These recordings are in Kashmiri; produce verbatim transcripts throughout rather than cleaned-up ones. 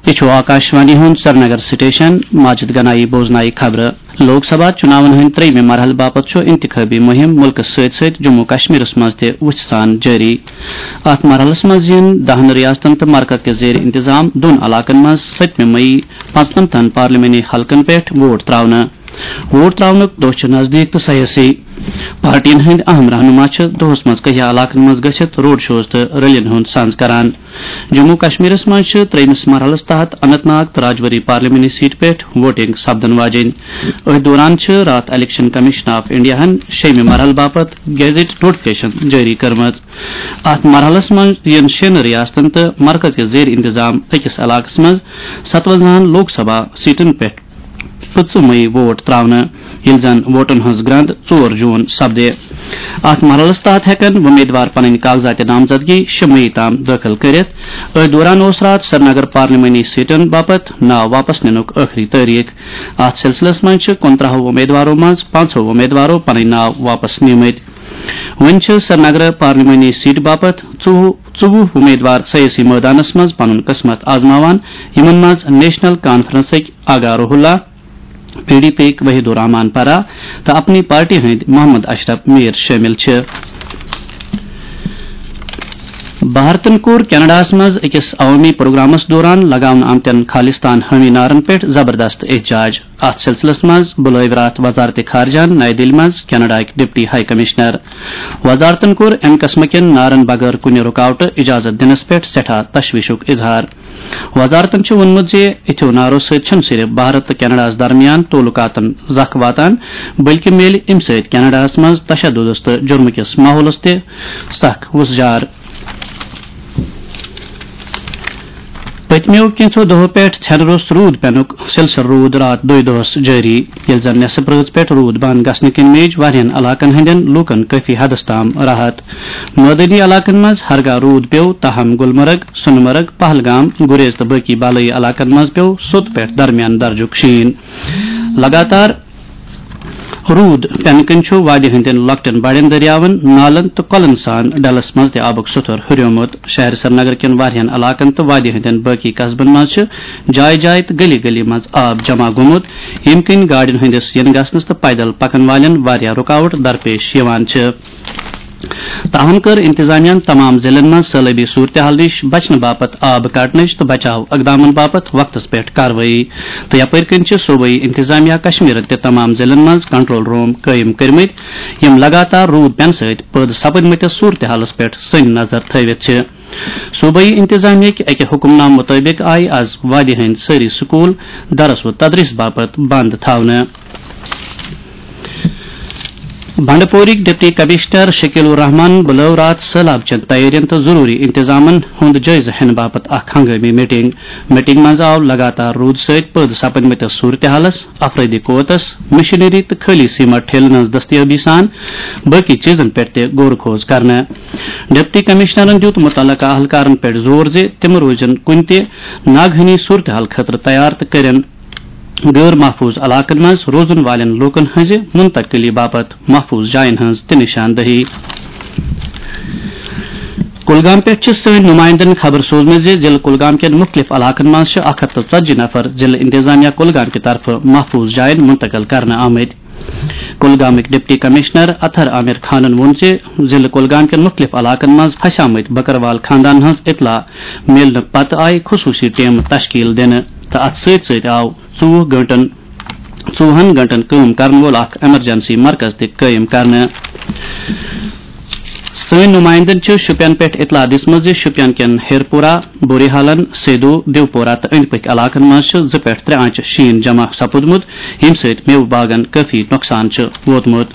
یہِ چھُ آکاشوانی ہُنٛد سرینگر سٹیشن۔ ماجد گنایی بوزنایہِ خبرٕ۔ لوک سبھا چُناون ہٕنٛدِ ترٛیٚیِمہِ مرحلہٕ باپتھ چھُ انتخٲبی مُہِم مُلکس سۭتۍ سۭتۍ جموں کشمیرس منٛز تہِ وُژھِ سان جٲری۔ اتھ مرحلس منٛز یِن دَہن ریاستن تہٕ مرکز کہِ زیر انتظام دۄن علاقن منٛز سٔتمہِ مئی پانٛژنمتن پارلیمانی حلقن پٮ۪ٹھ ووٹ تراونہٕ۔ ووٹ تراونُک دۄہ چھُ نزدیٖک تہٕ سیٲسی پارٹین ہٕنٛدۍ اہم رہنما چھِ دۄہس منٛز کینٛہہ علاقن منٛز گٔژھِتھ روڈ شوز تہٕ ریلین ہُنٛد سنز کران۔ جموں کشمیرس منٛز چھِ ترٛیٚیمِس مرحلس تحت اننت ناگ تہٕ راجوری پارلیمانی سیٹ پٮ۪ٹھ ووٹنگ سپدن واجیٚنۍ۔ أتھۍ دوران چھِ راتھ الیکشن کمیشن آف انڈیاہن شیٚیمہِ مرحلہٕ باپتھ گیزٹ نوٹیفکیشن جٲری کٔرمٕژ۔ اتھ مرحلس منٛز یِن شیٚن ریاستن تہٕ مرکز کِس زیر انتظام أکِس علاقس منٛز ستونزاہن لوک سبھا سیٹن پٮ۪ٹھ پٕنٛژٕہ مئی ووٹ تراونہٕ، ییٚلہِ زن ووٹن ہٕنٛز گرٛنٛد ژور جوٗن سپدِ۔ اتھ مرحلس تحت ہٮ۪کن وۄمیدوار پنٕنۍ کاغذات نامزدگی شےٚ مئی تام دٲخل کٔرِتھ۔ أتھۍ دوران اوس راتھ سرینگر پارلیمانی سیٹن باپتھ ناو واپس نِنُک ٲخری تٲریخ۔ اتھ سلسلس منٛز چھِ کُنترٕہو وۄمیدوارو منٛز پانٛژہو وۄمیدوارو پنٕنۍ ناو واپس نِمٕتۍ۔ وۄنۍ چھِ سرینگر پارلیمانی سیٹ باپتھ ژوٚوُہ، ژوٚوُہ وۄمیدوار سیٲسی مٲدانس منٛز پنُن قسمت آزماوان، یِمن منٛز نیشنل کانفرنسٕکۍ آغا روح اللہ، پی ڈی پی یِکۍ وحید الرحمان پرا تہٕ اپنی پارٹی ہٕنٛدۍ محمد اشرف میر شٲمِل چھِ۔ بھارتن کوٚر کینیڈاہس منٛز أکِس عوٲمی پروگرامس دوران لگاونہٕ آمتٮ۪ن خالصتان حٲمی نعرن پٮ۪ٹھ زبردست احتجاج۔ اتھ سلسلس منٛز بُلٲوۍ راتھ وزارت خارجہن نَیہِ دِلہِ منٛز کینیڈاہٕکۍ ڈپٹی ہائی کمشنر۔ وزارتن کوٚر امہِ قٕسمہٕ کٮ۪ن نعرن بغٲر کُنہِ رُکاوٹہٕ اجازت دِنس پٮ۪ٹھ سٮ۪ٹھاہ تشویشُک اظہار۔ وزارتن چھُ ووٚنمُت زِ یِتھیو نعرو سۭتۍ چھُنہٕ صرف بھارت تہٕ کینیڈاہَس درمیان تعلقاتن زکھ واتان، بلکہِ میلہِ اَمہِ سۭتۍ کینیڈاہَس منٛز تشددس تہٕ جرمہٕ کِس ماحولس تہِ سخ وُژھ جار۔ پٔتمیو کینٛژھو دۄہو پٮ۪ٹھ ژھٮ۪نہٕ روٚس روٗد پینُک سلسلہٕ روٗد راتھ دۄیہِ دۄہس جٲری، ییٚلہِ زن نٮ۪صٕف رٲژ پٮ۪ٹھ روٗد بنٛد گژھنہٕ کِنۍ میج واریاہن علاقن ہٕنٛدٮ۪ن لوٗکن کٲفی حدس تام راحت۔ مٲدٲنی علاقن منٛز ہرگاہ روٗد پیوٚو، تاہم گُلمرگ، سۄنہٕ مرگ، پہلگام، گُریز تہٕ باقی بالٲیی علاقن منٛز پیوٚو سوٚت پٮ۪ٹھ درمیان درجُک شیٖن۔ لگاتار روٗد پینہٕ کِنۍ چھُ وادی ہٕنٛدٮ۪ن لۄکٹٮ۪ن بڑٮ۪ن دٔریاوَن، نالَن تہٕ کۄلَن سان ڈلَس منٛز تہِ آبُک سطح ہُریومُت۔ شہر سرینگر کٮ۪ن واریاہَن علاقَن تہٕ وادی ہٕنٛدٮ۪ن باقی قصبَن منٛز چھِ جایہِ جایہِ تہٕ گلی گلی منٛز آب جمع گوٚمُت، ییٚمہِ کِنۍ گاڑٮ۪ن ہٕنٛدِس یِنہٕ گژھنَس تہٕ پیدل پَکَن والٮ۪ن واریاہ رُکاوٹ درپیش یِوان چھِ۔ تاہم کٔر انتظامیہ ہَن تمام ضلعن منٛز سٲلٲبی صورتحال نِش بچنہٕ باپتھ آب کڑنٕچ تہٕ بچاو اقدامن باپتھ وقتس پٮ۪ٹھ کاروٲیی، تہٕ یپٲرۍ کِنۍ چھِ صوبٲئی انتظامیہ کشمیرن تہِ تمام ضلعن منٛز کنٹرول روم قٲیِم کٔرمٕتۍ، یِم لگاتار روٗد پینہٕ سۭتۍ پٲدٕ سپدمٕتِس صورتحالس پٮ۪ٹھ سٔنۍ نظر تھٲوِتھ چھِ۔ صوبٲئی انتظامیہ کہِ اَکہِ حکم نامہٕ مُطٲبِق آیہِ از وادی ہٕنٛدۍ سٲری سکوٗل درس و تدریس باپتھ بند تھاونہٕ۔ بنڈپورٕکۍ ڈپٹی کمشنر شکیل الرحمان بُلٲو راتھ سٔہلاب چٮ۪ن تیٲرین تہٕ ضروٗری انتظامن ہُنٛد جٲیزٕ ہینہٕ باپتھ اکھ ہنگٲمی میٹنگ۔ میٹنگ منٛز آو لگاتار روٗد سۭتۍ پٲدٕ سپدمٕتِس صورتحالس، افرٲدی قوتس، مشینری تہٕ خٲلی سیمٹ ٹھیلن ہٕنٛز دستیٲبی سان باقی چیزن پٮ۪ٹھ تہِ غور و خوض کرنہٕ۔ ڈپٹی کمشنرن دیُت متعلقہ اہلکارن پٮ۪ٹھ زور زِ تِم روزن کُنہِ تہِ ناگہٲنی صورتحال خٲطرٕ تیار تہٕ کٔرِن غٲر محفوظ علاقن منٛز روزن والٮ۪ن لوٗکن ہٕنٛزِ منتقلی باپتھ محفوظ جاین ہٕنٛز تہِ نشاندہی۔ کُلگام پٮ۪ٹھ چھِ سٲنۍ نُمایندن خبر سوزمٕژ زِ ضلعہٕ کُلگام کٮ۪ن مُختٔلِف علاقن منٛز چھِ اکھ ہَتھ تہٕ ژتجی نفر ضلعہٕ انتظامیہ کُلگام کہِ طرفہٕ محفوظ جاین منتقل کرنہٕ آمٕتۍ۔ کُلگامٕکۍ ڈپٹی کمشنر اطہر عامر خانن ووٚن زِ ضلعہٕ کُلگام کٮ۪ن مُختٔلِف علاقن منٛز پھسیمٕتۍ بکروال خاندانن ہٕنٛز اطلاع میلنہٕ پتہٕ آیہِ خصوٗصی ٹیم تشکیل دِنہٕ تہٕ اتھ سۭتۍ سۭتۍ آو ژوٚوُہ گٲنٛٹن، ژوٚوُہن گٲنٛٹن کٲم کرن وول اکھ ایمرجنسی مرکز تہِ قٲیِم کرنہٕ۔ سٲنۍ نُمایندن چھِ شُپین پٮ۪ٹھ اطلاع دِژمٕژ زِ شُپین کٮ۪ن ہیرپورہ، بوریحالن، سیدو، دیوپورہ تہٕ أنٛدۍ پٔکھۍ علاقن منٛز چھِ زٕ پٮ۪ٹھ ترٛےٚ آنچہِ شیٖن جمع سپُدمُت، ییٚمہِ سۭتۍ میوٕ باغن کٲفی نۄقصان چھُ ووتمُت۔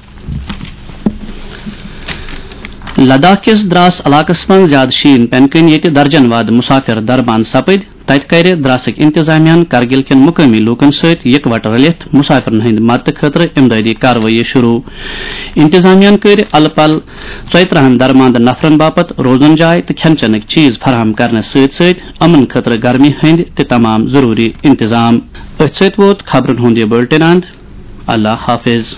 لداخ کِس دراس علاقس منٛز زیادٕ شیٖن پینہٕ کِنۍ ییٚتہِ درجن وادٕ مسافر دربان سپٕدۍ، تتہِ کرِ دراسٕکۍ انتظامیہ ہن کرگل کٮ۪ن مقٲمی لوٗکن سۭتۍ یکوٹہٕ رلِتھ مسافرن ہٕنٛدِ مدتہٕ خٲطرٕ امدادی کاروٲیی شروع۔ انتظامیہ ہن کٔرۍ الہٕ پلہٕ ژۄیہِ ترٕٛہن درماندٕ نفرن باپتھ روزن جاے تہٕ کھٮ۪ن چٮ۪نٕکۍ چیز فراہم کرنس سۭتۍ سۭتۍ امن خٲطرٕ گرمی ہٕنٛدۍ تہِ تمام ضروٗری انتظام۔ أتھۍ سۭتۍ ووت خبرن ہُنٛد یہِ بُلٹن اند۔ اللہ حافظ۔